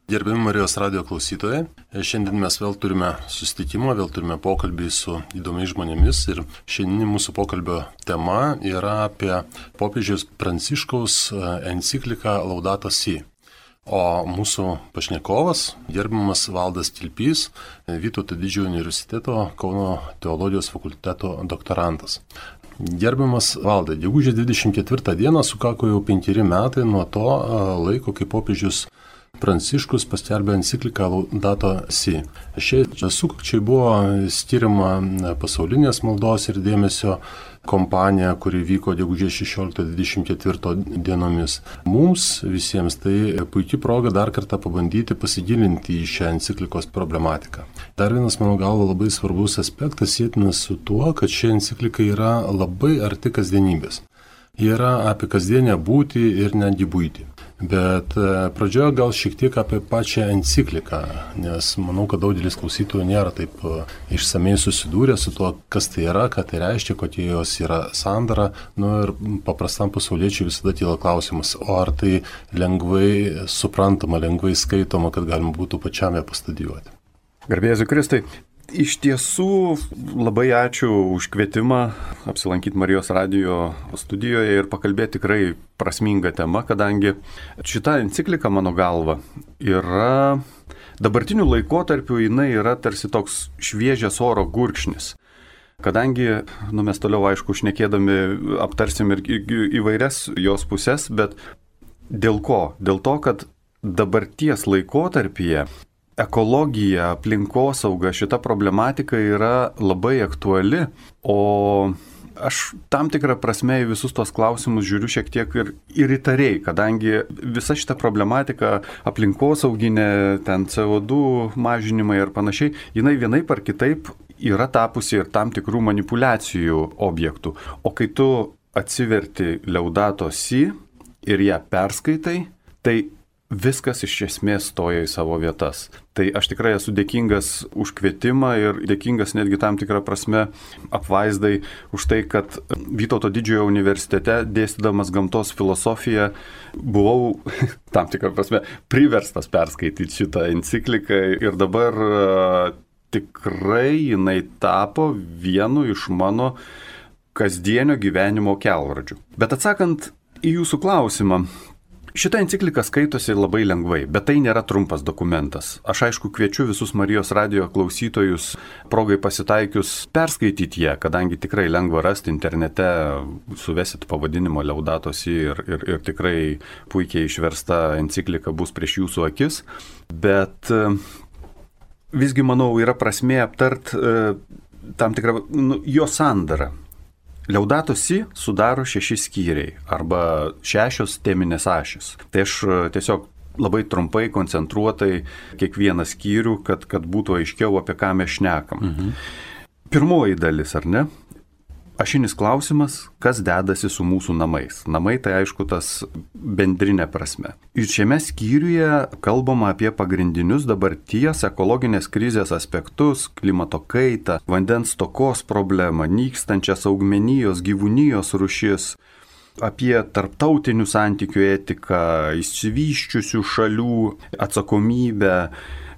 Gerbiami Marijos radio klausytojai, šiandien mes vėl turime susitikimą, vėl turime pokalbį su įdomiais žmonėmis ir šiandien mūsų pokalbio tema yra apie popiežiaus Pranciškaus encikliką Laudato Si. O mūsų pašnekovas, gerbiamas Valdas Kilpys, Vytauto Didžiojo universiteto Kauno teologijos fakulteto doktorantas. Gerbiamas Valdai, gegužės 24 dieną sukako jau 5 metai nuo to laiko, kai popiežius Pranciškus paskelbė encikliką Laudato Si. Šiai sukakčiai buvo skiriama pasaulinės maldos ir dėmesio kompanija, kuri vyko gegužės 16-24 dienomis. Mums visiems tai puikia proga dar kartą pabandyti pasigilinti į šią enciklikos problematiką. Dar vienas, mano galva, labai svarbus aspektas sėtinas su tuo, kad ši enciklika yra labai arti kasdienybės. Ji yra apie kasdienę būtį ir netgi būtį. Bet pradžioje gal šiek tiek apie pačią encikliką, nes manau, kad daugelis klausytojų nėra taip išsamei susidūrę su tuo, kas tai yra, ką tai reiškia, kokie jos yra sandara. Ir paprastam pasauliečiui visada kyla klausimas, o ar tai lengvai suprantama, lengvai skaitoma, kad galima būtų pačiam ją pastudijuoti. Garbė Jėzui Kristui. Iš tiesų, labai ačiū už kvietimą apsilankyti Marijos radijo studijoje ir pakalbėti tikrai prasmingą temą, kadangi šita enciklika, mano galva, yra dabartiniu laikotarpiu, jinai yra tarsi toks šviežias oro gurkšnis. Kadangi, mes toliau, aišku, šnekėdami aptarsim ir įvairias jos pusės, bet dėl ko? Dėl to, kad dabarties laikotarpyje ekologija, aplinkosauga, šita problematika yra labai aktuali, o aš tam tikrą prasme į visus tos klausimus žiūriu šiek tiek ir įtariai, kadangi visa šita problematika aplinkosauginė, ten CO2 mažinimai ir panašiai, jinai vienaip ar kitaip yra tapusi ir tam tikrų manipulacijų objektų. O kai tu atsiverti Laudato Si ir ją perskaitai, tai viskas iš esmės stoja į savo vietas. Tai aš tikrai esu dėkingas už kvietimą ir dėkingas netgi tam tikrą prasme apvaizdai už tai, kad Vytauto Didžiojo universitete dėstydamas gamtos filosofiją buvau tam tikrą prasme priverstas perskaityti šitą encikliką ir dabar tikrai jinai tapo vienu iš mano kasdienio gyvenimo kelrodžių. Bet atsakant į jūsų klausimą, šita enciklika skaitosi labai lengvai, bet tai nėra trumpas dokumentas. Aš aišku kviečiu visus Marijos radijo klausytojus progai pasitaikius perskaityti ją, kadangi tikrai lengva rasti internete, suvesit pavadinimo Laudato Si ir tikrai puikiai išversta enciklika bus prieš jūsų akis. Bet visgi, manau, yra prasmė aptart tam tikrą jo sandarą. Laudato Si sudaro 6 skyriai arba 6 teminės ašys. Tai aš tiesiog labai trumpai, koncentruotai kiekvieną skyrių, kad būtų aiškiau, apie ką mes šnekam. Pirmoji dalis, ar ne? Ašinis klausimas, kas dedasi su mūsų namais. Namai tai aišku tas bendrinė prasme. Ir šiame skyriuje kalbama apie pagrindinius dabarties ekologinės krizės aspektus, klimato kaitą, vandens stokos problemą, nykstančias augmenijos, gyvūnijos rūšis, apie tarptautinių santykių etiką, išsivysčiusių šalių atsakomybę,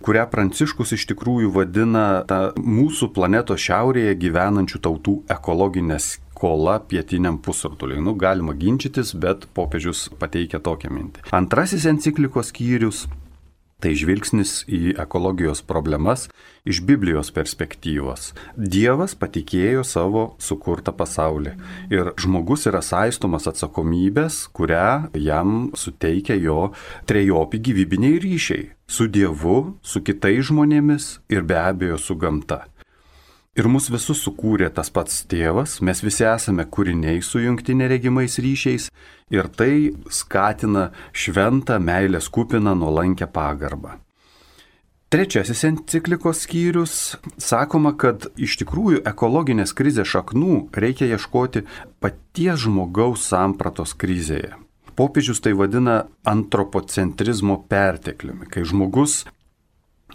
kurią Pranciškus iš tikrųjų vadina tą mūsų planetos šiaurėje gyvenančių tautų ekologinę skolą pietiniam pusrutuliui. Galima ginčytis, bet popiežius pateikia tokią mintį. Antrasis enciklikos skyrius tai žvilgsnis į ekologijos problemas iš Biblijos perspektyvos. Dievas patikėjo savo sukurtą pasaulį ir žmogus yra saistomas atsakomybės, kurią jam suteikia jo trejopi gyvybiniai ryšiai su Dievu, su kitais žmonėmis ir be abejo su gamta. Ir mus visus sukūrė tas pats tėvas, mes visi esame kūriniai sujungti neregimais ryšiais ir tai skatina šventą meilės kupiną nuolankę pagarbą. Trečiasis enciklikos skyrius sakoma, kad iš tikrųjų ekologinės krizės šaknų reikia ieškoti paties žmogaus sampratos krizėje. Popiežius tai vadina antropocentrizmo pertekliumi, kai žmogus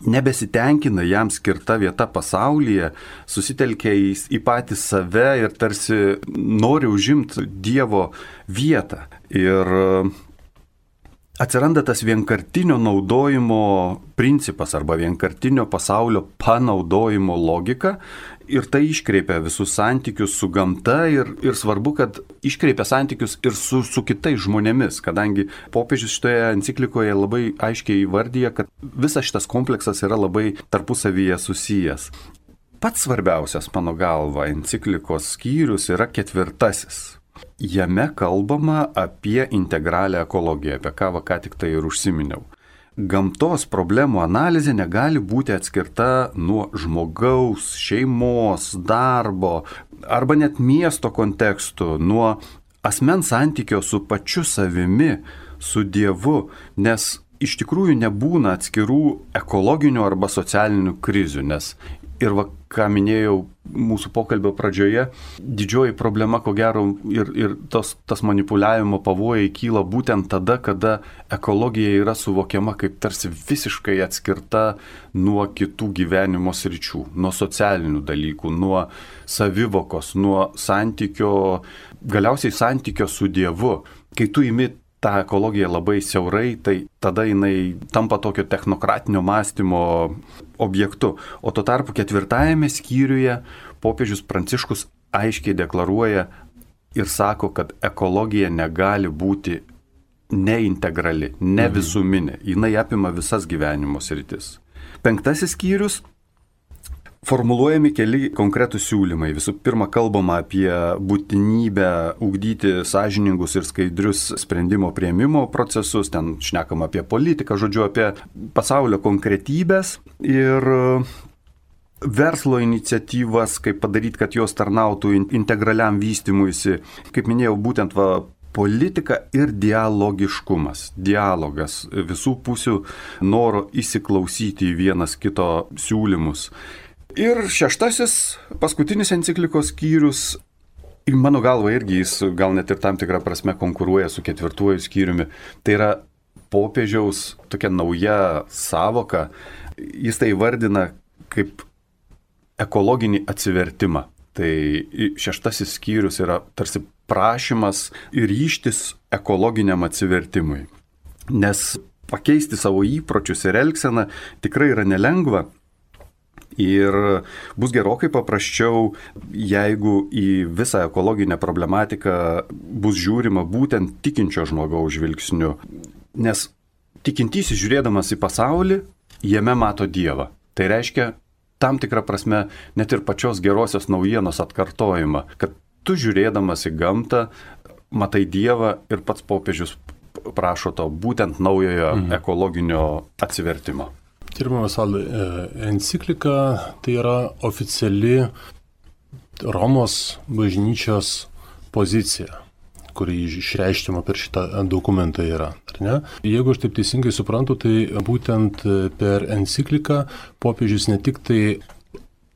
nebesitenkina jam skirta vieta pasaulyje, susitelkia į patį save ir tarsi nori užimti Dievo vietą. Ir atsiranda tas vienkartinio naudojimo principas arba vienkartinio pasaulio panaudojimo logika ir tai iškreipia visus santykius su gamta ir svarbu, kad iškreipia santykius ir su kitais žmonėmis, kadangi popiežius šitoje enciklikoje labai aiškiai įvardyja, kad visas šitas kompleksas yra labai tarpusavyje susijęs. Pats svarbiausias, mano galva, enciklikos skyrius yra 4. Jame kalbama apie integralią ekologiją, apie ką tik tai ir užsiminiau. Gamtos problemų analizė negali būti atskirta nuo žmogaus, šeimos, darbo arba net miesto kontekstų, nuo asmens santykio su pačiu savimi, su Dievu, nes iš tikrųjų nebūna atskirų ekologinių arba socialinių krizių, nes ir ką minėjau mūsų pokalbio pradžioje, didžioji problema, ko gero, ir tas manipuliavimo pavojai kyla būtent tada, kada ekologija yra suvokiama kaip tarsi visiškai atskirta nuo kitų gyvenimo sričių, nuo socialinių dalykų, nuo savivokos, nuo santykio, galiausiai santykio su Dievu. Kai tu imi tą ekologiją labai siaurai, tai tada jinai tampa tokio technokratinio mąstymo objektu. O tuo tarpu 4 skyriuje popiežius Pranciškus aiškiai deklaruoja ir sako, kad ekologija negali būti neintegrali, ne visuminė. Jinai apima visas gyvenimo sritis. 5 skyrius. Formuluojami keli konkretūs siūlymai. Visų pirma, kalbama apie būtinybę ugdyti sąžiningus ir skaidrius sprendimo priėmimo procesus, ten šnekama apie politiką, žodžiu, apie pasaulio konkretybės ir verslo iniciatyvas, kaip padaryti, kad jos tarnautų integraliam vystymuisi. Kaip minėjau, būtent politika ir dialogiškumas. Dialogas, visų pusių noro įsiklausyti į vienas kito siūlymus. Ir 6, paskutinis enciklikos skyrius, mano galva irgi jis gal net ir tam tikrą prasme konkuruoja su 4 skyriumi. Tai yra popiežiaus tokia nauja savoka. Jis tai vardina kaip ekologinį atsivertimą. Tai 6 skyrius yra tarsi prašymas ir ryžtis ekologiniam atsivertimui. Nes pakeisti savo įpročius ir elgseną tikrai yra nelengva. Ir bus gerokai paprasčiau, jeigu į visą ekologinę problematiką bus žiūrima būtent tikinčio žmogaus žvilgsniu. Nes tikintysis žiūrėdamas į pasaulį, jame mato Dievą. Tai reiškia tam tikrą prasme net ir pačios gerosios naujienos atkartojimą, kad tu žiūrėdamas į gamtą matai Dievą ir pats popiežius prašo to būtent naujojo ekologinio atsivertimo. Gerbiamas Valdai, enciklika tai yra oficiali Romos bažnyčios pozicija, kuri išreiškiama per šitą dokumentą yra. Ar ne? Jeigu aš taip teisingai suprantu, tai būtent per encikliką popiežius ne tik tai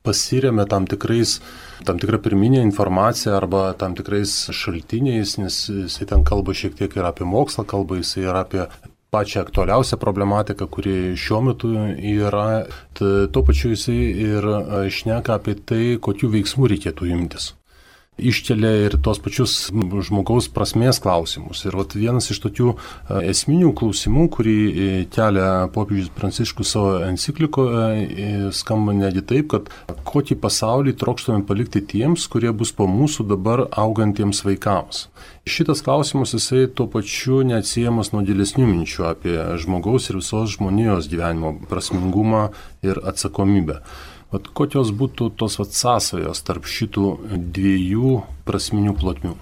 pasiremia tam tikrą pirminę informaciją arba tam tikrais šaltiniais, nes jisai ten kalba šiek tiek ir apie mokslą, kalba jisai ir apie pačią aktualiausią problematiką, kuri šiuo metu yra, tuo pačiu jisai ir šneka apie tai, kokių veiksmų reikėtų imtis. Iškelia ir tos pačius žmogaus prasmės klausimus. Ir vienas iš tokių esminių klausimų, kurį kelia popiežius Pranciškus savo enciklikoje, skamba netgi taip, kad kokį pasaulį trokštame palikti tiems, kurie bus po mūsų dabar augantiems vaikams. Šitas klausimas jisai tuo pačiu neatsiejamas nuo gilesnių minčių apie žmogaus ir visos žmonijos gyvenimo prasmingumą ir atsakomybę. Kokios būtų tos sąsajos tarp šitų 2 prasminių plotmių?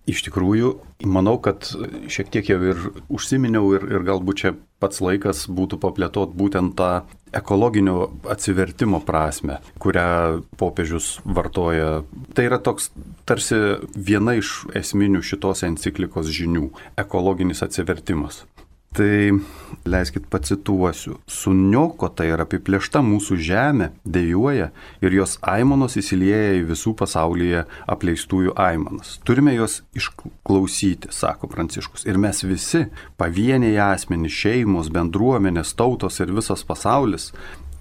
Iš tikrųjų, manau, kad šiek tiek jau ir užsiminiau ir galbūt čia pats laikas būtų paplėtoti būtent tą ekologinio atsivertimo prasme, kurią popiežius vartoja. Tai yra toks tarsi viena iš esminių šitos enciklikos žinių – ekologinis atsivertimas. Tai leiskit pacituosiu. Suniokota ir apiplėšta mūsų žemė dejuoja ir jos aimanos įsilieja į visų pasaulyje apleistųjų aimanas. Turime jos išklausyti, sako Pranciškus. Ir mes visi, pavieniai asmenys, šeimos, bendruomenės, tautos ir visas pasaulis,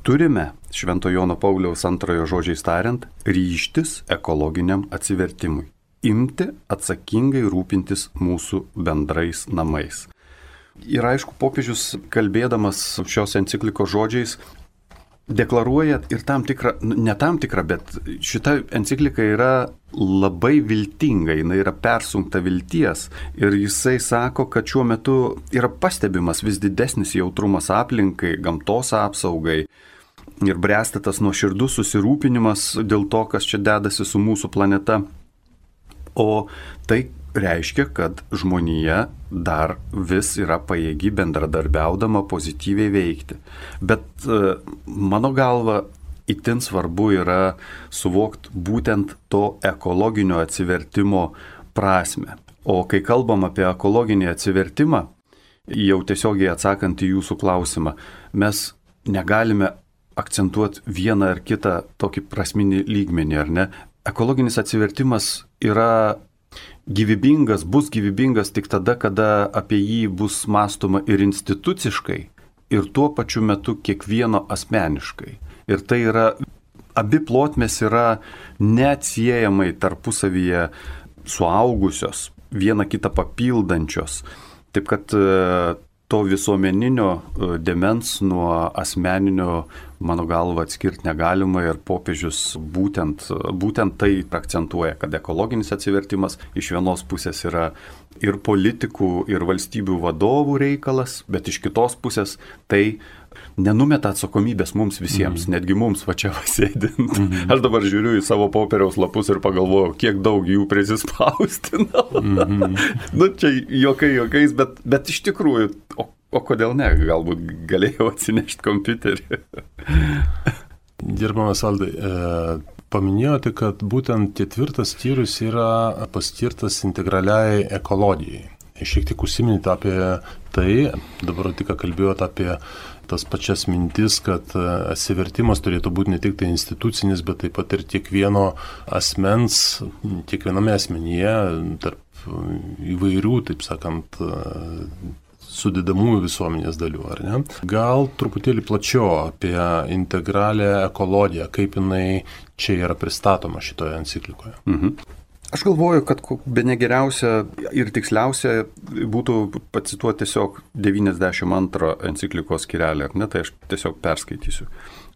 turime, Švento Jono Pauliaus 2 žodžiais tariant, ryžtis ekologiniam atsivertimui. Imti atsakingai rūpintis mūsų bendrais namais. Ir aišku, popiežius, kalbėdamas šios enciklikos žodžiais, deklaruoja ir ne tam tikrą, bet šita enciklika yra labai viltinga, jinai yra persunkta vilties. Ir jisai sako, kad šiuo metu yra pastebimas vis didesnis jautrumas aplinkai, gamtos apsaugai ir bręsta tas nuoširdus susirūpinimas dėl to, kas čia dedasi su mūsų planeta. O tai reiškia, kad žmonija dar vis yra pajėgi bendradarbiaudama pozityviai veikti. Bet mano galva itin svarbu yra suvokti būtent to ekologinio atsivertimo prasme. O kai kalbam apie ekologinį atsivertimą, jau tiesiogiai atsakant į jūsų klausimą, mes negalime akcentuoti vieną ar kitą tokį prasminį lygmenį, ar ne? Ekologinis atsivertimas yra gyvybingas, bus gyvybingas tik tada, kada apie jį bus mąstoma ir instituciškai, ir tuo pačiu metu kiekvieno asmeniškai. Ir tai yra, abi plotmės yra neatsiejamai tarpusavyje suaugusios, viena kitą papildančios. Taip kad to visuomeninio dėmens nuo asmeninio, mano galva, atskirti negalima ir popiežius būtent tai akcentuoja, kad ekologinis atsivertimas iš vienos pusės yra ir politikų, ir valstybių vadovų reikalas, bet iš kitos pusės tai nenumeta atsakomybės mums visiems, netgi mums va čia sėdint. Aš dabar žiūriu į savo popieriaus lapus ir pagalvoju, kiek daug jų prisispaustinau. Nu, čia juokais, bet iš tikrųjų, o kodėl ne, galbūt galėjau atsinešti kompiuterį. Gerbiamas Valdai, paminėjote, kad būtent 4 skyrius yra paskirtas integraliai ekologijai. Šiek tiek užsiminėte apie tai, dabar tik kalbėjote apie tas pačias mintis, kad atsivertimas turėtų būti ne tik tai institucinis, bet taip pat ir kiekvieno asmens, kiekviename asmenyje, tarp įvairių, taip sakant, sudedamųjų visuomenės dalių, ar ne? Gal truputėlį plačiau apie integralią ekologiją, kaip jinai čia yra pristatoma šitoje enciklikoje. Aš galvoju, kad bene geriausia ir tiksliausia būtų pacituoti tiesiog 92 enciklikos skyrelį, ar ne, tai aš tiesiog perskaitysiu.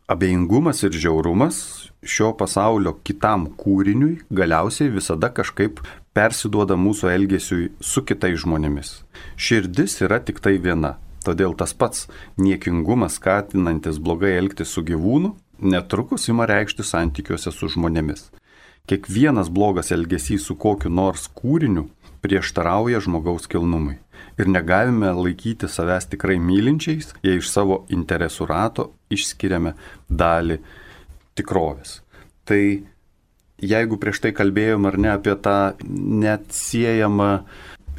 Abejingumas ir žiaurumas šio pasaulio kitam kūriniui galiausiai visada kažkaip persiduoda mūsų elgesiui su kitais žmonėmis. Širdis yra tik tai viena, todėl tas pats niekingumas skatinantis blogai elgtis su gyvūnu netrukus ima reikšti santykiuose su žmonėmis. Kiekvienas blogas elgesys su kokiu nors kūriniu prieštarauja žmogaus kilnumui. Ir negalime laikyti savęs tikrai mylinčiais, jei iš savo interesų rato išskiriame dalį tikrovės. Tai jeigu prieš tai kalbėjom ar ne apie tą neatsiejamą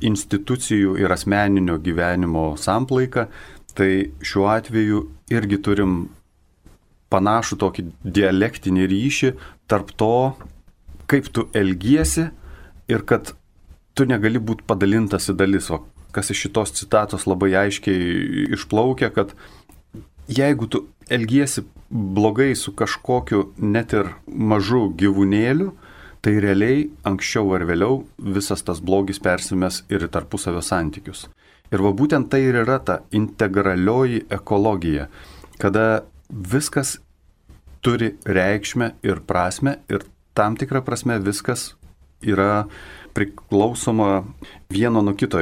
institucijų ir asmeninio gyvenimo samplaiką, tai šiuo atveju irgi turim panašų tokį dialektinį ryšį tarp to, kaip tu elgiesi ir kad tu negali būti padalintas į dalis. O kas iš šitos citatos labai aiškiai išplaukia, kad jeigu tu elgiesi blogai su kažkokiu net ir mažu gyvūnėliu, tai realiai anksčiau ar vėliau visas tas blogis persimes ir į tarpusavio santykius. Ir va būtent tai ir yra ta integralioji ekologija, kada viskas turi reikšmę ir prasme ir tam tikrą prasme viskas yra priklausoma vieno nuo kito.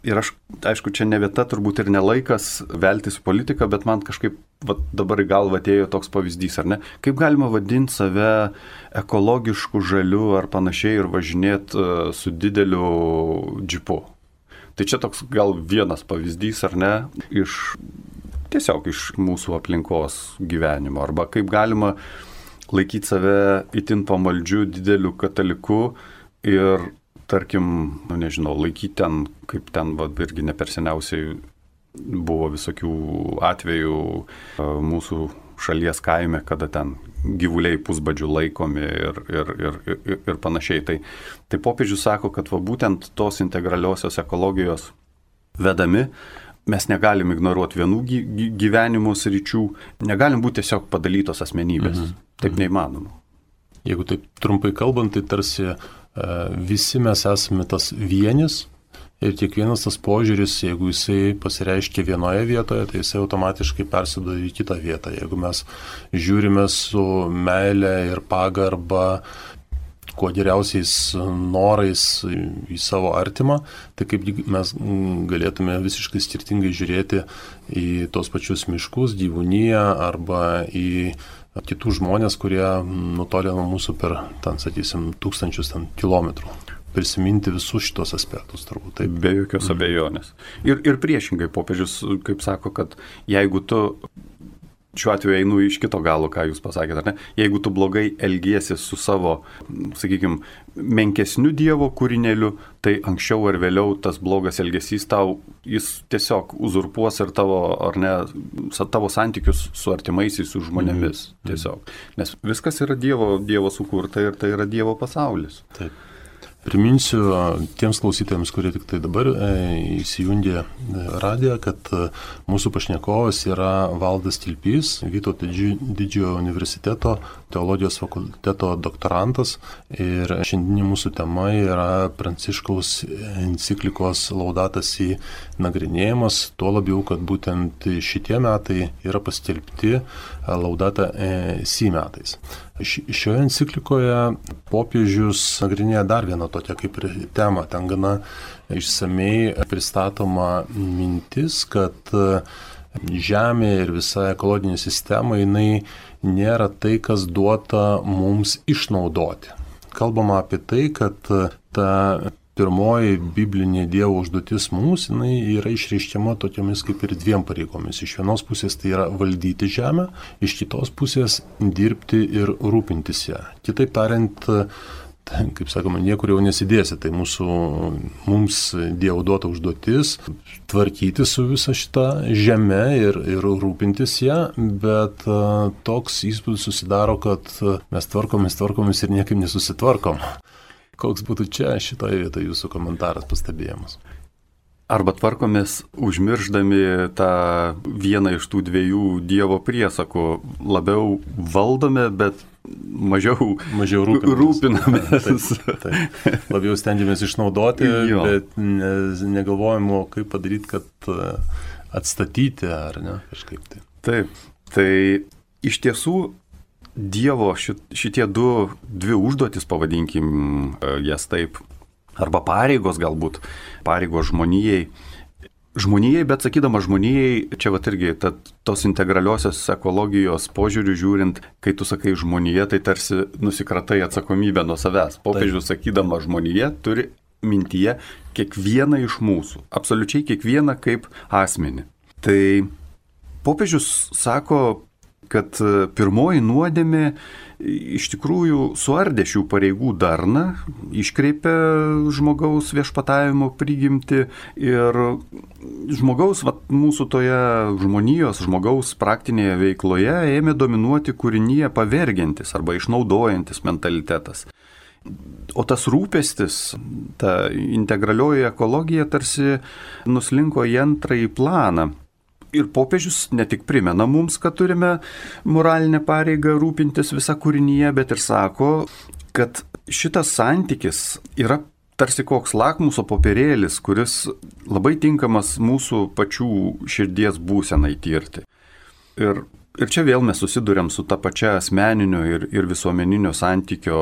Ir aš, aišku, čia ne vieta, turbūt ir ne laikas veltis į politiką, bet man kažkaip dabar į galvą atėjo toks pavyzdys, ar ne? Kaip galima vadinti save ekologišku, žaliu ar panašiai ir važinėti su dideliu džipu? Tai čia toks gal vienas pavyzdys, ar ne? Tiesiog iš mūsų aplinkos gyvenimo. Arba kaip galima laikyti save itin pamaldžiu dideliu kataliku ir, tarkim, nežinau, laikyti ten, kaip ten, irgi ne per seniausiai buvo visokių atvejų mūsų šalies kaime, kada ten gyvuliai pusbadžių laikomi ir panašiai. Tai popiežius sako, kad va būtent tos integraliosios ekologijos vedami mes negalim ignoruoti vienų gyvenimo sričių, negalim būti tiesiog padalytos asmenybės. Taip neįmanoma. Jeigu taip trumpai kalbant, tai tarsi visi mes esame tas vienis Ir kiekvienas tas požiūris, jeigu jisai pasireiškia vienoje vietoje, tai jisai automatiškai persiduoda į kitą vietą. Jeigu mes žiūrime su meile ir pagarba, kuo geriausiais norais į savo artimą, tai kaip mes galėtume visiškai skirtingai žiūrėti į tos pačius miškus, gyvūniją arba į kitų žmonės, kurie nutolė nuo mūsų per, sakysim, tūkstančius kilometrų. Prisiminti visus šitos aspektus, turbūt. Taip. Be jokios abejonės. Ir priešingai popiežius, kaip sako, kad jeigu tu, šiuo atveju einu iš kito galo, ką jūs pasakėte, ar ne, jeigu tu blogai elgiesi su savo, sakykime, menkesniu Dievo kūrinėliu, tai anksčiau ar vėliau tas blogas elgesys tau, jis tiesiog uzurpuos ir tavo, ar ne, tavo santykius su artimaisiais, su žmonėmis. Tiesiog. Nes viskas yra Dievo sukurta ir tai yra Dievo pasaulis. Taip. Priminsiu tiems klausytojams, kurie tik tai dabar įsijungė radiją, kad mūsų pašnekovas yra Valdas Tilpys, Vytauto Didžiojo universiteto teologijos fakulteto doktorantas. Ir šiandien mūsų tema yra Pranciškaus enciklikos Laudato Si nagrinėjimas, tuo labiau, kad būtent šitie metai yra paskelbti Laudato Si metais. Šioje enciklikoje popiežius nagrinėja dar vieną tokią kaip ir temą. Ten gana išsamei pristatoma mintis, kad Žemė ir visa ekologinė sistema, jinai nėra tai, kas duota mums išnaudoti. Kalbama apie tai, kad ta pirmoji biblinė Dievo užduotis mums, jinai yra išreiškiama tokiamis kaip ir dviem pareigomis. Iš vienos pusės tai yra valdyti žemę, iš kitos pusės dirbti ir rūpintis ją. Kitaip tariant, kaip sakoma, niekur jau nesidėsi, tai mums Dievo duota užduotis tvarkyti su visa šita žeme ir rūpintis ją, bet toks įspūdis susidaro, kad mes tvarkomės ir niekaip nesusitvarkom. Koks būtų čia šitoje vietoje jūsų komentaras, pastebėjimas? Arba tvarkomės užmirždami tą vieną iš tų dviejų Dievo priesakų. Labiau valdome, bet mažiau rūpinamės. Taip. Labiau stengiamės išnaudoti, bet negalvojame, kaip padaryti, kad atstatyti, ar ne, kažkaip tai. Taip, tai iš tiesų Dievo šitie dvi užduotis, pavadinkim jas taip, arba pareigos galbūt, pareigos žmonijai, bet sakydama žmonijai, čia vat irgi tos integraliosios ekologijos požiūrių žiūrint, kai tu sakai žmonija, tai tarsi nusikratai atsakomybę nuo savęs. Popiežius sakydama žmonija turi mintyje kiekvieną iš mūsų, absoliučiai kiekvieną kaip asmenį. Tai popiežius sako, kad pirmoji nuodėmė iš tikrųjų suardė šių pareigų darną, iškreipė žmogaus viešpatavimo prigimtį ir žmogaus, mūsų toje žmogaus praktinėje veikloje ėmė dominuoti kūrinyje pavergiantis arba išnaudojantis mentalitetas. O tas rūpestis, ta integralioji ekologija tarsi nuslinko į antrąjį planą. Ir popiežius ne tik primena mums, kad turime moralinę pareigą rūpintis visą kūrinyje, bet ir sako, kad šitas santykis yra tarsi koks lakmuso popierėlis, kuris labai tinkamas mūsų pačių širdies būsenai tirti. Ir čia vėl mes susiduriam su ta pačia asmeninio ir visuomeninio santykio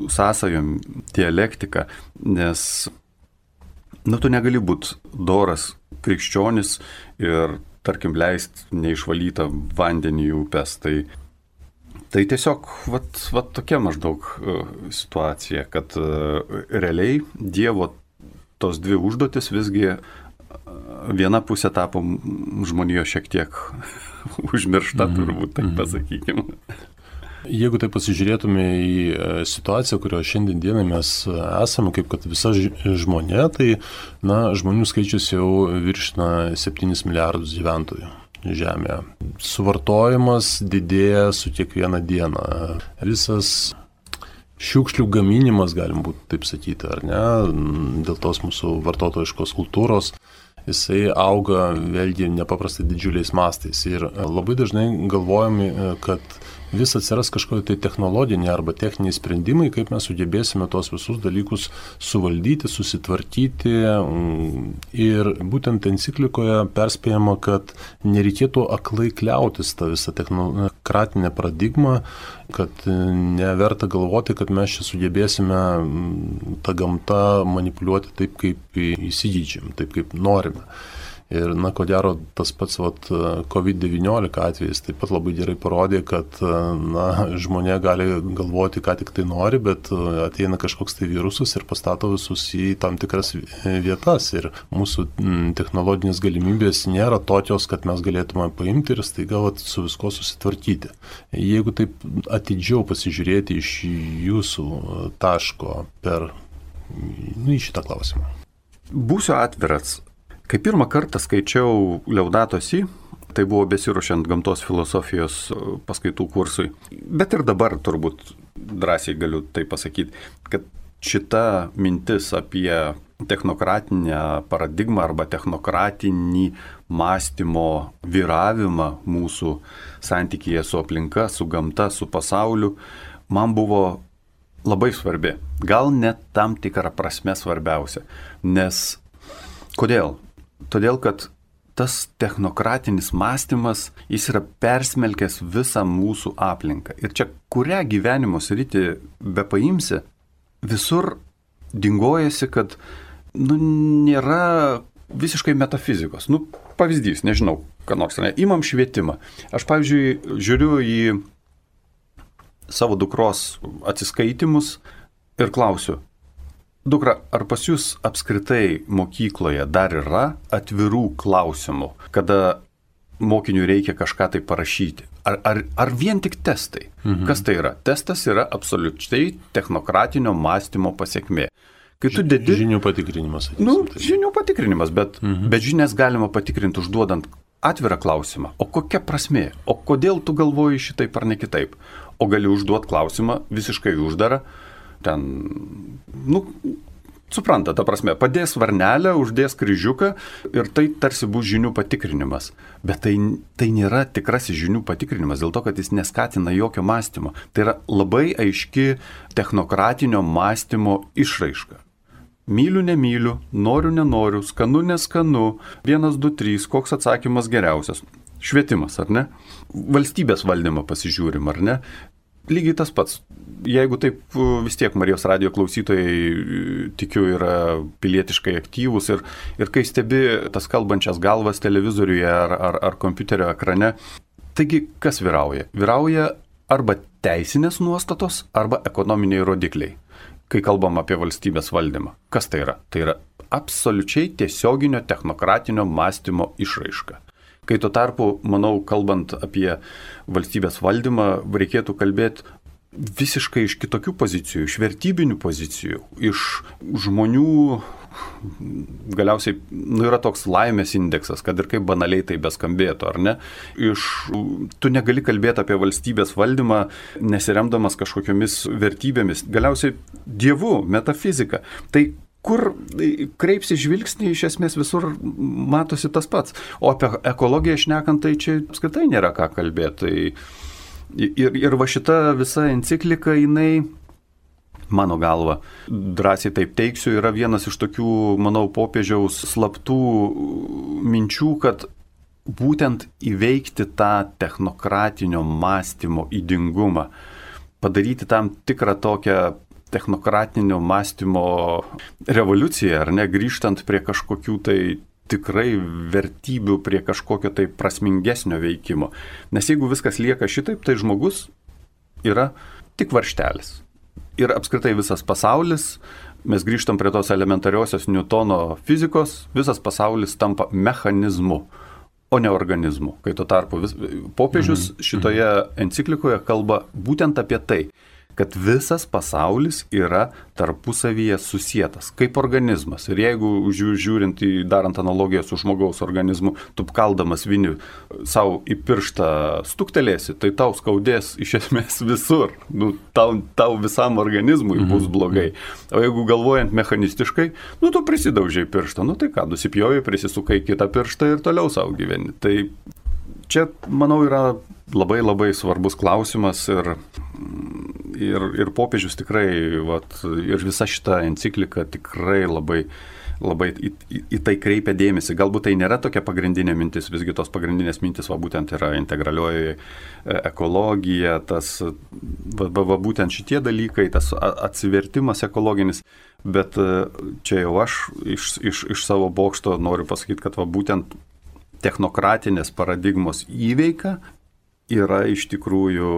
sąsajom dialektika, nes tu negali būti doras krikščionis ir tarkim, leist neišvalytą vandenį į upes. Tai tiesiog tokia maždaug situacija, kad realiai Dievo tos dvi užduotis visgi viena pusė tapo žmonijos šiek tiek užmiršta, turbūt, taip pasakykime. Jeigu tai pasižiūrėtume į situaciją, kurioje šiandien dienai mes esame, kaip kad visa žmonė, tai žmonių skaičius jau viršina 7 milijardus gyventojų Žemėje. Suvartojimas didėja su kiekviena diena. Visas šiukšlių gaminimas, galim būti taip sakyti, ar ne, dėl tos mūsų vartotojiškos kultūros, jisai auga vėlgi nepaprastai didžiuliais mastais. Ir labai dažnai galvojame, kad vis atsiras kažkokie tai technologiniai arba techniniai sprendimai, kaip mes sugebėsime tos visus dalykus suvaldyti, susitvarkyti. Ir būtent enciklikoje perspėjama, kad nereikėtų aklai kliautis tą visą technokratinę paradigmą, kad neverta galvoti, kad mes čia sugebėsime tą gamtą manipuliuoti taip, kaip įsigeidžiam, taip, kaip norime. Ir, ko gero, tas pats COVID-19 atvejis taip pat labai gerai parodė, kad žmonė gali galvoti, ką tik tai nori, bet ateina kažkoks tai virusas ir pastato visus į tam tikras vietas. Ir mūsų technologinės galimybės nėra tokios, kad mes galėtume paimti ir staiga su visko susitvarkyti. Jeigu taip atidžiau pasižiūrėti iš jūsų taško per į šitą klausimą. Būsiu atviras. Kai pirmą kartą skaičiau Laudato Si, tai buvo besiruošiant gamtos filosofijos paskaitų kursui, bet ir dabar turbūt drąsiai galiu tai pasakyti, kad šita mintis apie technokratinę paradigmą arba technokratinį mąstymo vyravimą mūsų santykyje su aplinka, su gamta, su pasauliu, man buvo labai svarbi. Gal net tam tikrą prasme svarbiausia. Nes kodėl? Todėl, kad tas technokratinis mąstymas, jis yra persmelkęs visą mūsų aplinką. Ir čia kurią gyvenimo sritį bepaimsi, visur dingojasi, kad nėra visiškai metafizikos. Pavyzdys, nežinau, ką nors, imam švietimą. Aš, pavyzdžiui, žiūriu į savo dukros atsiskaitimus ir klausiu, dukra, ar pas jūs apskritai mokykloje dar yra atvirų klausimų, kada mokiniui reikia kažką tai parašyti? Ar vien tik testai? Kas tai yra? Testas yra absoliučiai technokratinio mąstymo pasiekmė. Kai tu dedi... Žinių patikrinimas. Žinių patikrinimas, bet žinias galima patikrinti užduodant atvirą klausimą. O kokia prasmė? O kodėl tu galvoji šitaip ar ne kitaip? O gali užduoti klausimą visiškai uždarą. Ten, supranta, ta prasme, padės varnelę, uždės kryžiuką ir tai tarsi bus žinių patikrinimas. Bet tai nėra tikrasis žinių patikrinimas, dėl to, kad jis neskatina jokio mąstymo. Tai yra labai aiški technokratinio mąstymo išraiška. Myliu, nemyliu, noriu, nenoriu, skanu, neskanu, 1, 2, 3, koks atsakymas geriausias. Švietimas, ar ne? Valstybės valdymą pasižiūrim, ar ne? Lygiai tas pats. Jeigu taip vis tiek Marijos radijo klausytojai, tikiu, yra pilietiškai aktyvūs ir kai stebi tas kalbančias galvas televizoriuje ar kompiuterio ekrane, taigi kas vyrauja? Vyrauja arba teisinės nuostatos, arba ekonominiai rodikliai, kai kalbam apie valstybės valdymą. Kas tai yra? Tai yra absoliučiai tiesioginio technokratinio mąstymo išraiška. Kai tuo tarpu, manau, kalbant apie valstybės valdymą, reikėtų kalbėti visiškai iš kitokių pozicijų, iš vertybinių pozicijų, iš žmonių, galiausiai yra toks laimės indeksas, kad ir kaip banaliai tai beskambėtų, ar ne? Tu negali kalbėti apie valstybės valdymą, nesiremdamas kažkokiamis vertybėmis, galiausiai dievu, metafizika. Tai kur kreipsi žvilgsnį, iš esmės visur matosi tas pats. O apie ekologiją šnekant, tai čia apskritai nėra ką kalbėti. Ir va šita visa enciklika, jinai, mano galva, drąsiai taip teiksiu, yra vienas iš tokių, manau, popiežiaus slaptų minčių, kad būtent įveikti tą technokratinio mąstymo ydingumą, padaryti tam tikrą tokią technokratinio mąstymo revoliuciją, ar ne, grįžtant prie kažkokių tai tikrai vertybių, prie kažkokio tai prasmingesnio veikimo. Nes jeigu viskas lieka šitaip, tai žmogus yra tik varžtelis. Ir apskritai visas pasaulis, mes grįžtam prie tos elementariosios Newtono fizikos, visas pasaulis tampa mechanizmu, o ne organizmu. Kai tuo tarpu popiežius šitoje enciklikoje kalba būtent apie tai, kad visas pasaulis yra tarpusavyje susietas, kaip organizmas. Ir jeigu žiūrint darant analogiją su žmogaus organizmu, tu kaldamas vinį savo į pirštą stuktelėsi, tai tau skaudės iš esmės visur. Tau visam organizmui bus blogai. O jeigu galvojant mechanistiškai, tu prisidaužiai pirštą, tai ką, nusipjovai, prisisukai kitą pirštą ir toliau savo gyveni. Tai čia, manau, yra labai labai svarbus klausimas ir popiežius tikrai, ir visa šita enciklika tikrai labai į tai kreipia dėmesį. Galbūt tai nėra tokia pagrindinė mintis, visgi tos pagrindinės mintis būtent yra integralioji ekologija, tas būtent šitie dalykai, tas atsivertimas ekologinis, bet čia jau aš iš savo bokšto noriu pasakyti, kad būtent technokratinės paradigmos įveika yra iš tikrųjų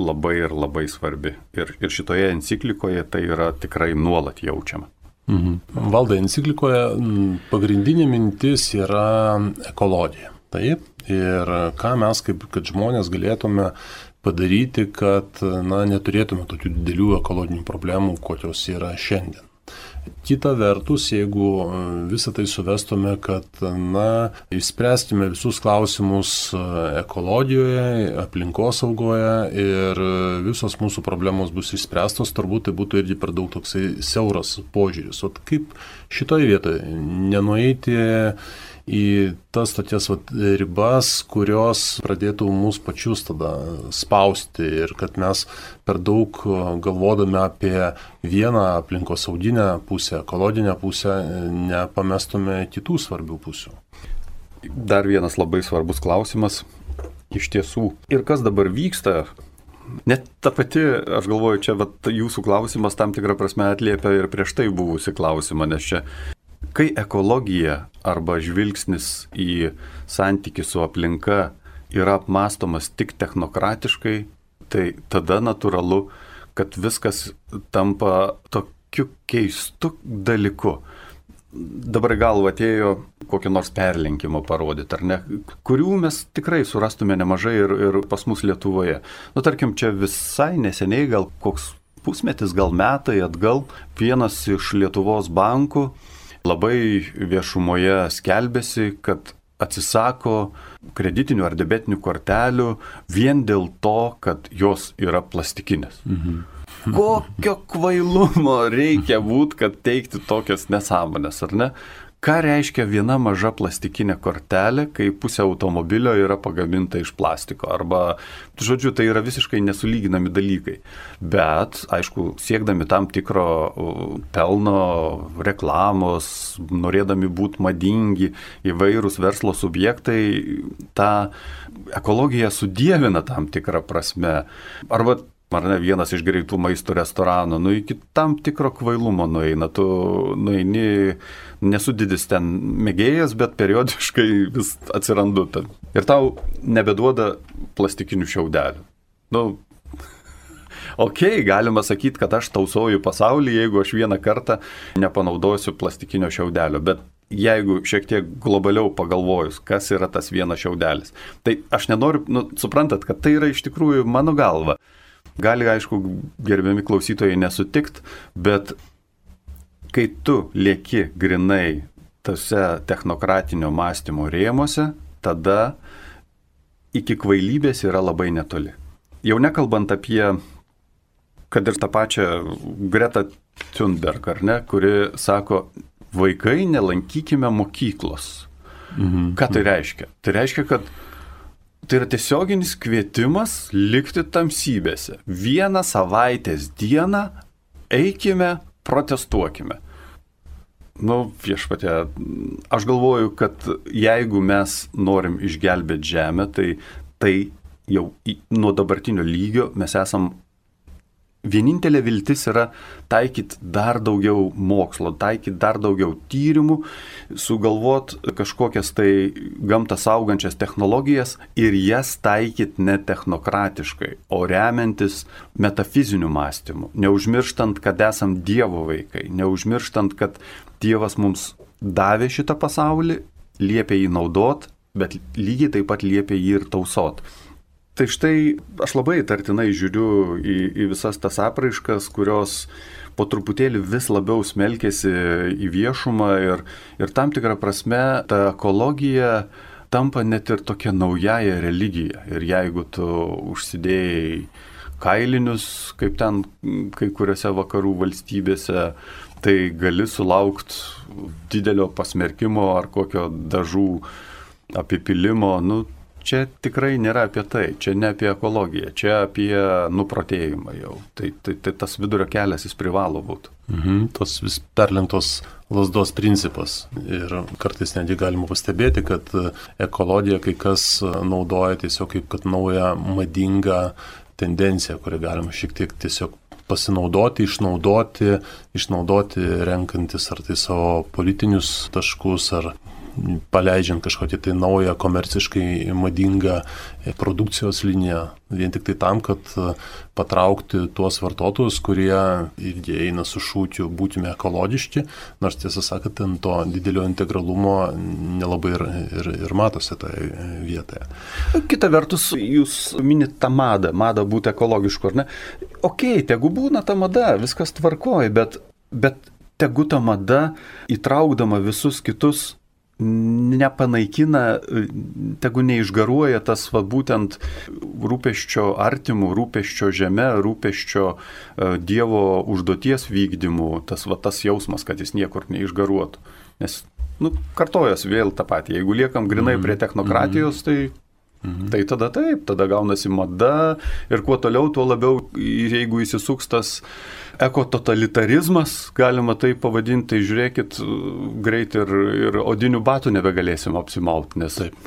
labai ir labai svarbi. Ir šitoje enciklikoje tai yra tikrai nuolat jaučiama. Valdai, enciklikoje pagrindinė mintis yra ekologija. Taip. Ir ką mes kad žmonės galėtume padaryti, kad neturėtume tokių didelių ekologinių problemų, kokios yra šiandien. Kita vertus, jeigu visą tai suvestume, kad išspręstume visus klausimus ekologijoje, aplinkosaugoje ir visos mūsų problemos bus išspręstos, turbūt tai būtų irgi per daug toksai siauras požiūris. O kaip šitoje vietoje nenueiti į tas tokias ribas, kurios pradėtų mus pačius tada spausti ir kad mes per daug galvodami apie vieną aplinkosauginę pusę, ekologinę pusę, nepamestume kitų svarbių pusių. Dar vienas labai svarbus klausimas iš tiesų. Ir kas dabar vyksta? Net ta pati, aš galvoju, čia jūsų klausimas tam tikrą prasme atliepia ir prieš tai buvusi klausimą, nes čia kai ekologija arba žvilgsnis į santykį su aplinka yra apmąstomas tik technokratiškai, tai tada natūralu, kad viskas tampa tokiu keistu dalyku. Dabar galva atėjo kokį nors perlenkimą parodyti, ar ne, kurių mes tikrai surastume nemažai ir pas mus Lietuvoje. Tarkim, čia visai neseniai, gal koks pusmetis, gal metai atgal, vienas iš Lietuvos bankų labai viešumoje skelbėsi, kad atsisako kreditinių ar debetinių kortelių vien dėl to, kad jos yra plastikinės. Kokio kvailumo reikia būti, kad teikti tokias nesąmonės, ar ne? Ką reiškia viena maža plastikinė kortelė, kai pusė automobilio yra pagaminta iš plastiko? Arba, žodžiu, tai yra visiškai nesulyginami dalykai. Bet, aišku, siekdami tam tikro pelno, reklamos, norėdami būti madingi, įvairūs verslo subjektai, tą ekologiją sudievina tam tikrą prasme. Arba vienas iš greitų maisto restoranų, iki tam tikro kvailumo nueina. Tu nueini, nesu didis ten mėgėjas, bet periodiškai vis atsirandu ten. Ir tau nebeduoda plastikinių šiaudelių. Galima sakyti, kad aš tausoju pasaulį, jeigu aš vieną kartą nepanaudosiu plastikinio šiaudelio, bet jeigu šiek tiek globaliau pagalvojus, kas yra tas vienas šiaudelis, tai aš nenoriu, suprantat, kad tai yra iš tikrųjų mano galva. Gali, aišku, gerbiami klausytojai nesutikt, bet kai tu lieki grinai tose technokratinio mąstymo rėmuose, tada iki kvailybės yra labai netoli. Jau nekalbant apie, kad ir tą pačią Greta Thunberg, ar ne, kuri sako, vaikai nelankykime mokyklos. Ką tai reiškia? Tai reiškia, kad tai yra tiesioginis kvietimas likti tamsybėse. Vieną savaitės dieną eikime, protestuokime. Viešpatie, aš galvoju, kad jeigu mes norim išgelbėti žemę, tai jau nuo dabartinio lygio mes esam. Vienintelė viltis yra taikyti dar daugiau mokslo, taikyti dar daugiau tyrimų, sugalvot kažkokias tai gamtą saugančias technologijas ir jas taikyti ne technokratiškai, o remiantis metafiziniu mąstymu. Neužmirštant, kad esam Dievo vaikai, neužmirštant, kad Dievas mums davė šitą pasaulį, liepė jį naudot, bet lygiai taip pat liepė jį ir tausot. Tai štai aš labai įtartinai žiūriu į visas tas apraiškas, kurios po truputėlį vis labiau smelkėsi į viešumą ir tam tikrą prasme ta ekologija tampa net ir tokia naujaja religija. Ir jeigu tu užsidėjai kailinius, kaip ten kai kuriuose vakarų valstybėse, tai gali sulaukti didelio pasmerkimo ar kokio dažų apipilimo, čia tikrai nėra apie tai, čia ne apie ekologiją, čia apie nuprotėjimą jau. Tai tas vidurio kelias jis privalo būti. Tos vis perlenktos lazdos principas. Ir kartais netgi galima pastebėti, kad ekologiją kai kas naudoja tiesiog kaip kad naują madingą tendenciją, kurią galima šiek tiek tiesiog pasinaudoti, išnaudoti renkantis ar tai savo politinius taškus, ar paleidžiant kažkokią tai naują komerciškai madingą produkcijos liniją, vien tik tai tam, kad patraukti tuos vartotojus, kurie irgi eina su šūkiu būtume ekologiški, nors tiesą sakant, ten to didelio integralumo nelabai ir matosi toje vietoje. Kita vertus, jūs minit tą madą būti ekologišku, ar ne? Okei, tegu būna ta mada, viskas tvarkoja, bet tegu ta mada įtraukdama visus kitus nepanaikina, tegu neišgaruoja tas būtent rūpesčio artimų, rūpesčio žeme, rūpesčio Dievo užduoties vykdymų, tas jausmas, kad jis niekur neišgaruotų. Nes, kartojas vėl tą patį. Jeigu liekam grinai prie technokratijos, tai tada gaunasi mada ir kuo toliau, tuo labiau, jeigu įsisuks tas ekototalitarizmas, galima tai pavadinti, tai žiūrėkit, greit ir odinių batų nebegalėsim apsimauti, nes taip.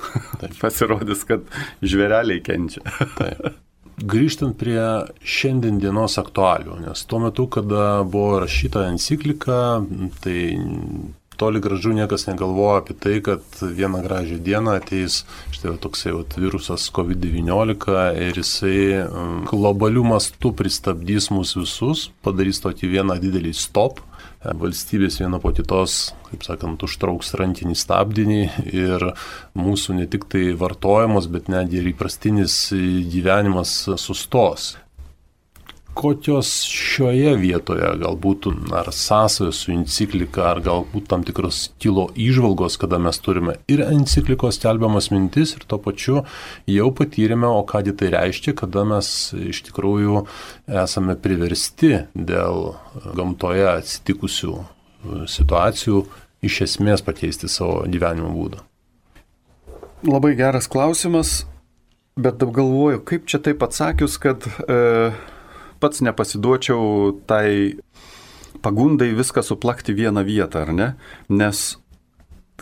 Pasirodys, kad žvėreliai kenčia. Taip. Grįžtant prie šiandien dienos aktualių, nes tuo metu, kada buvo rašyta enciklika, tai toli gražu niekas negalvoja apie tai, kad vieną gražią dieną ateis štai toksai virusas COVID-19 ir jisai globalių mastų pristabdys mus visus, padarys tokį vieną didelį stop. Valstybės viena po kitos, kaip sakant, užtrauks rankinį stabdinį ir mūsų ne tik tai vartojimas, bet netgi ir įprastinis gyvenimas sustos. Kokios šioje vietoje galbūt ar sąsajos su enciklika, ar galbūt tam tikros kilo įžvalgos, kada mes turime ir enciklikos skelbiamas mintis ir tuo pačiu jau patyrėme, o ką tai reiškia, kada mes iš tikrųjų esame priversti dėl gamtoje atsitikusių situacijų iš esmės pakeisti savo gyvenimo būdą. Labai geras klausimas, bet galvoju, kaip čia taip atsakius, kad pats nepasiduočiau tai pagundai viską suplakti vieną vietą, ar ne? Nes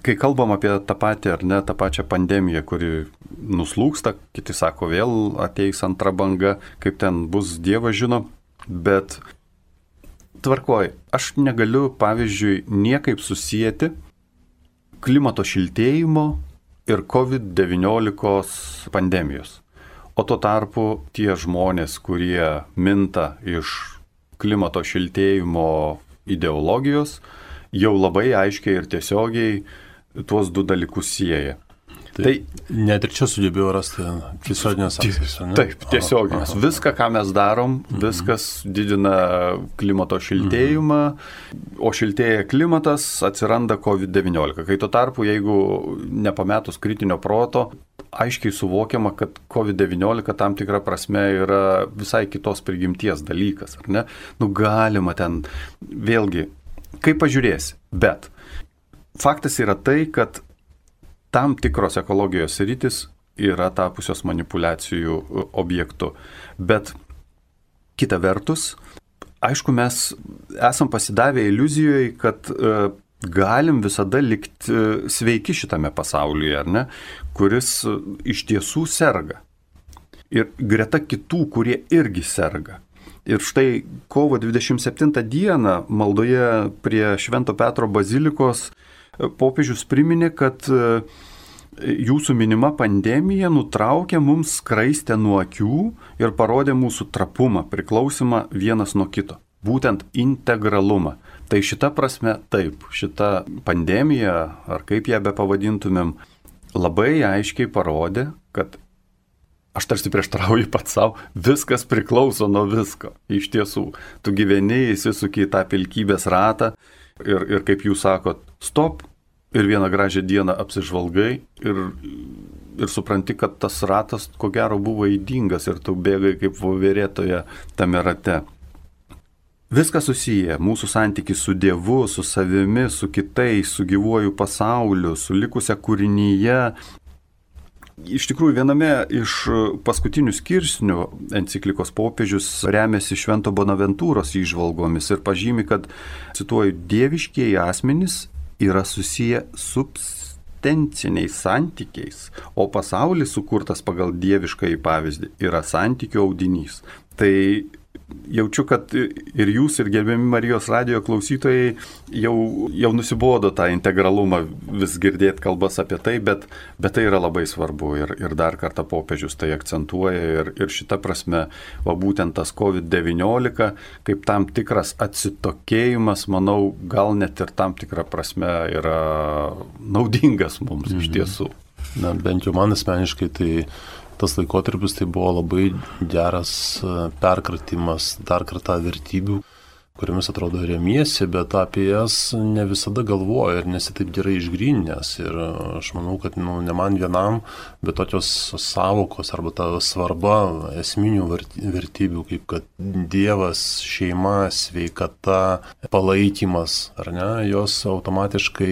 kai kalbam apie tą patį, ar ne, tą pačią pandemiją, kuri nuslūksta, kiti sako vėl ateis antra banga, kaip ten bus, Dievas žino, bet tvarkoj, aš negaliu, pavyzdžiui, niekaip susijęti klimato šiltėjimo ir COVID-19 pandemijos. O tuo tarpu tie žmonės, kurie minta iš klimato šiltėjimo ideologijos, jau labai aiškiai ir tiesiogiai tuos du dalykus sieja. Tai net ir čia sugebėjau rasti tiesioginės sąsajas. Taip, tiesioginės. Viską, ką mes darom, viskas didina klimato šiltėjimą, o šiltėja klimatas, atsiranda COVID-19. Kai tuo tarpu, jeigu nepametus kritinio proto, aiškiai suvokiama, kad COVID-19 tam tikra prasme yra visai kitos prigimties dalykas, ar ne? Galima ten, vėlgi, kaip pažiūrėsi, bet faktas yra tai, kad tam tikros ekologijos sritis yra tapusios manipulacijų objektu. Bet kita vertus, aišku, mes esam pasidavę iliuzijoje, kad galim visada likti sveiki šitame pasaulyje, ar ne, kuris iš tiesų serga. Ir greta kitų, kurie irgi serga. Ir štai kovo 27 dieną maldoje prie Švento Petro bazilikos popiežius priminė, kad jūsų minima pandemija nutraukė mums skraistę nuo akių ir parodė mūsų trapumą, priklausimą vienas nuo kito. Būtent integralumą. Tai šita prasme taip, šita pandemija, ar kaip ją bepavadintumėm, labai aiškiai parodė, kad aš tarsi prieštarauju pats savo, viskas priklauso nuo visko. Iš tiesų, tu gyveni, įsisuki į tą pilkybės ratą ir kaip jūs sakot, stop, ir vieną gražią dieną apsižvalgai ir supranti, kad tas ratas ko gero buvo ydingas ir tu bėgai kaip voverėtoje tame rate. Viskas susiję, mūsų santykis su Dievu, su savimi, su kitais, su gyvuoju pasauliu, su likusia kūrinyje. Iš tikrųjų, viename iš paskutinių skirsnių enciklikos popiežius remiasi Švento Bonaventūros įžvalgomis ir pažymi, kad, cituoju, dieviškieji asmenys yra susiję substenciniais santykiais, o pasaulis sukurtas pagal dieviškąjį pavyzdį yra santykių audinys. Tai jaučiu, kad ir jūs, ir gerbiami Marijos radijo klausytojai jau nusibodo tą integralumą vis girdėti kalbas apie tai, bet tai yra labai svarbu ir dar kartą popiežius tai akcentuoja ir šita prasme, būtent tas COVID-19 kaip tam tikras atsitokėjimas, manau, gal net ir tam tikrą prasme yra naudingas mums iš tiesų. Na, bent jau man asmeniškai tai tas laikotarpis tai buvo labai geras perkratimas dar kartą vertybių, kuriamis atrodo remiesi, bet apie jas ne visada galvoju ir nesi taip gerai išgrynęs. Ir aš manau, kad ne man vienam, bet tokios savokos arba ta svarba esminių vertybių, kaip kad Dievas, šeima, sveikata, palaikymas, ar ne, jos automatiškai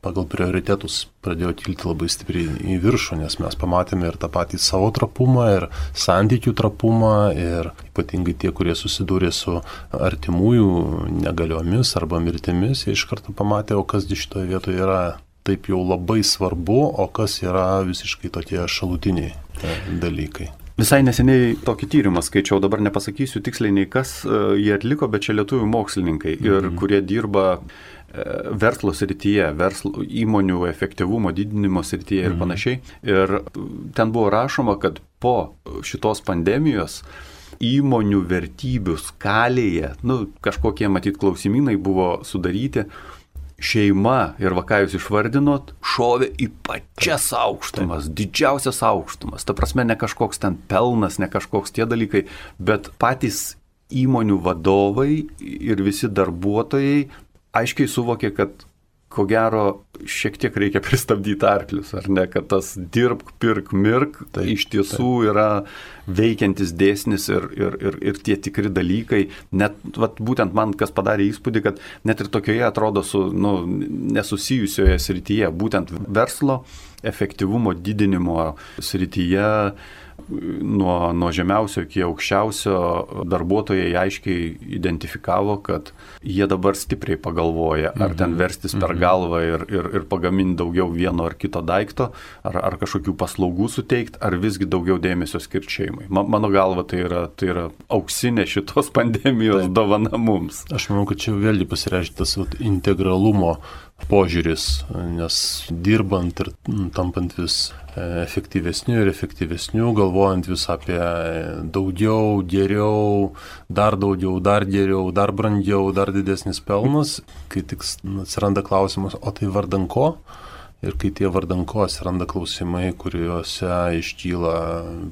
pagal prioritetus pradėjo kilti labai stipriai į viršų, nes mes pamatėme ir tą patį savo trapumą, ir santykių trapumą, ir ypatingai tie, kurie susidūrė su artimųjų negaliomis arba mirtimis, jie iš karto pamatė, o kas šitoje vietoje yra taip jau labai svarbu, o kas yra visiškai tokie šalutiniai dalykai. Visai neseniai tokį tyrimą skaičiau, dabar nepasakysiu tiksliai nei kas jie atliko, bet čia lietuvių mokslininkai, ir kurie dirba verslo srityje, įmonių efektyvumo didinimo srityje ir panašiai. Ir ten buvo rašoma, kad po šitos pandemijos įmonių vertybių skalėje, kažkokie matyt klausimynai buvo sudaryti, šeima ir ką jūs išvardinot, šovė į pačias aukštumas, didžiausias aukštumas. Ta prasme, ne kažkoks ten pelnas, ne kažkoks tie dalykai, bet patys įmonių vadovai ir visi darbuotojai aiškiai suvokė, kad ko gero šiek tiek reikia pristabdyti arklius, ar ne, kad tas dirbk, pirk, mirk, tai iš tiesų yra veikiantis dėsnis ir tie tikri dalykai. Net būtent man kas padarė įspūdį, kad net ir tokioje atrodo nesusijusioje srityje, būtent verslo efektyvumo didinimo srityje, nuo žemiausio iki aukščiausio darbuotojai aiškiai identifikavo, kad jie dabar stipriai pagalvoja, ar ten verstis per galvą ir pagaminti daugiau vieno ar kito daikto, ar kažkokių paslaugų suteikti, ar visgi daugiau dėmesio skirti šeimai. Mano galva tai yra auksinė šitos pandemijos dovana mums. Aš manau, kad čia vėlgi pasireiškia tas integralumo požiūris, nes dirbant ir tampant vis efektyvesniu ir efektyvesniu, galvojant vis apie daugiau, geriau, dar daugiau, dar geriau, dar brangiau, dar didesnis pelnas, kai tik atsiranda klausimas, o tai vardan ko? Ir kai tie vardan ko atsiranda klausimai, kuriuose iškyla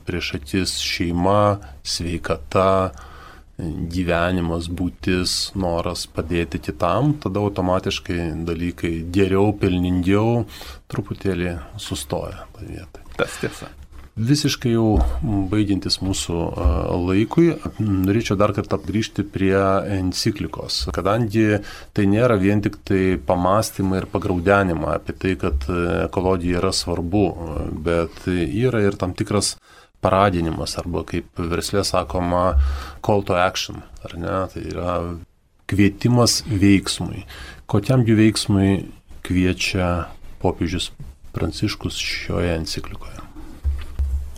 prieš akis šeima, sveikata, gyvenimas, būtis, noras padėti kitam, tada automatiškai dalykai geriau, pelningiau truputėlį sustoja tą vietą. Tas tiesa. Visiškai jau baigiantis mūsų laikui, norėčiau dar kartą grįžti prie enciklikos, kadangi tai nėra vien tik tai pamastymai ir pagraudenimai apie tai, kad ekologija yra svarbu, bet yra ir tam tikras paradinimas, arba kaip versle sakoma, call to action, ar ne, tai yra kvietimas veiksmui. Kokiam jų veiksmui kviečia popiežius Pranciškus šioje enciklikoje?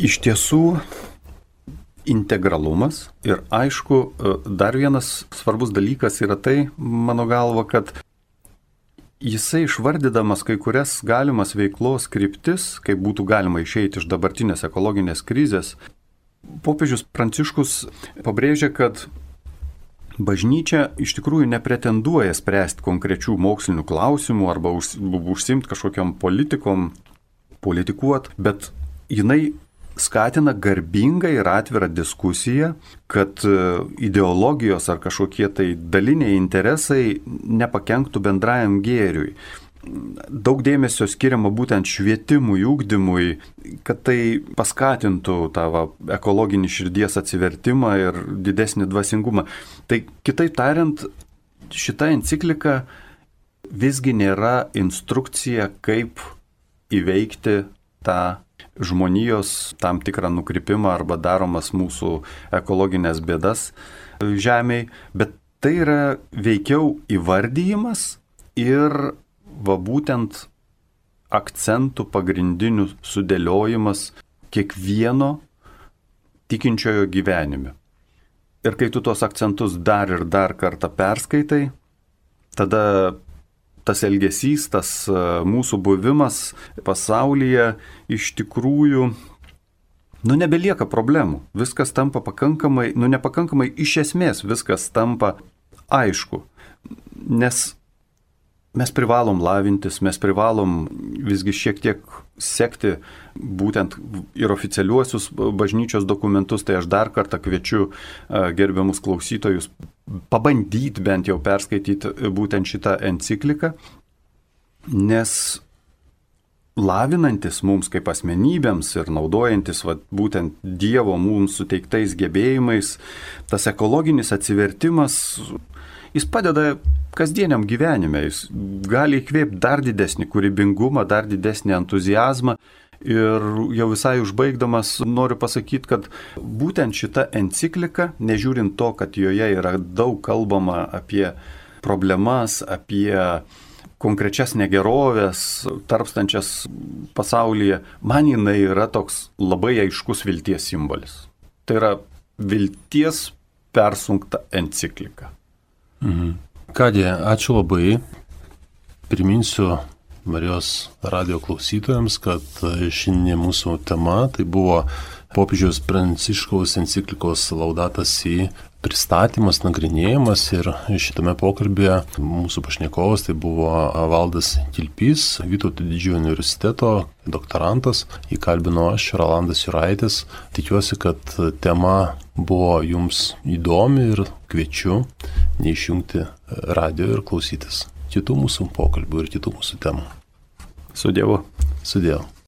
Iš tiesų, integralumas ir aišku, dar vienas svarbus dalykas yra tai, mano galva, kad jisai išvardydamas kai kurias galimas veiklos kryptis, kaip būtų galima išeiti iš dabartinės ekologinės krizės, popiežius Pranciškus pabrėžia, kad bažnyčia iš tikrųjų nepretenduoja spręsti konkrečių mokslinių klausimų arba užsiimti kažkokiam politikuot, bet jinai skatina garbingą ir atvirą diskusiją, kad ideologijos ar kažkokie tai daliniai interesai nepakenktų bendrajam gėriui. Daug dėmesio skiriama būtent švietimui, ugdymui, kad tai paskatintų tą ekologinį širdies atsivertimą ir didesnį dvasingumą. Tai kitaip tariant, šita enciklika visgi nėra instrukcija, kaip įveikti tą žmonijos tam tikrą nukrypimą arba daromas mūsų ekologinės bėdas žemėj, bet tai yra veikiau įvardyjimas ir būtent akcentų pagrindinių sudėliojimas kiekvieno tikinčiojo gyvenime. Ir kai tu tos akcentus dar ir dar kartą perskaitai, tada tas elgesys, tas mūsų buvimas pasaulyje iš tikrųjų, nebelieka problemų. Viskas tampa pakankamai, nepakankamai, iš esmės viskas tampa aišku. Nes mes privalom lavintis, mes privalom visgi šiek tiek sekti būtent ir oficialiuosius bažnyčios dokumentus, tai aš dar kartą kviečiu gerbiamus klausytojus pabandyti bent jau perskaityti būtent šitą encikliką, nes lavinantis mums kaip asmenybėms ir naudojantis būtent Dievo mums suteiktais gebėjimais, tas ekologinis atsivertimas, jis padeda kasdieniam gyvenime, jis gali įkvėpti dar didesnį kūrybingumą, dar didesnį entuziazmą. Ir jau visai užbaigdamas noriu pasakyti, kad būtent šita enciklika, nežiūrint to, kad joje yra daug kalbama apie problemas, apie konkrečias negerovės, tarpstančias pasaulyje, man jinai yra toks labai aiškus vilties simbolis. Tai yra vilties persunkta enciklika. Kągi, ačiū labai. Priminsiu Marijos radijo klausytojams, kad šiandien mūsų tema tai buvo popiežiaus Pranciškaus enciklikos Laudato Si pristatymas, nagrinėjimas, ir šitame pokalbėje mūsų pašnekovas tai buvo Valdas Kilpys, Vytauto didžiojo universiteto doktorantas, įkalbino aš, Rolandas Juraitis. Tikiuosi, kad tema buvo jums įdomi ir kviečiu neišjungti radijo ir klausytis kitų mūsų pokalbių ir kitų mūsų temų. Su Dievu. Su Dievu.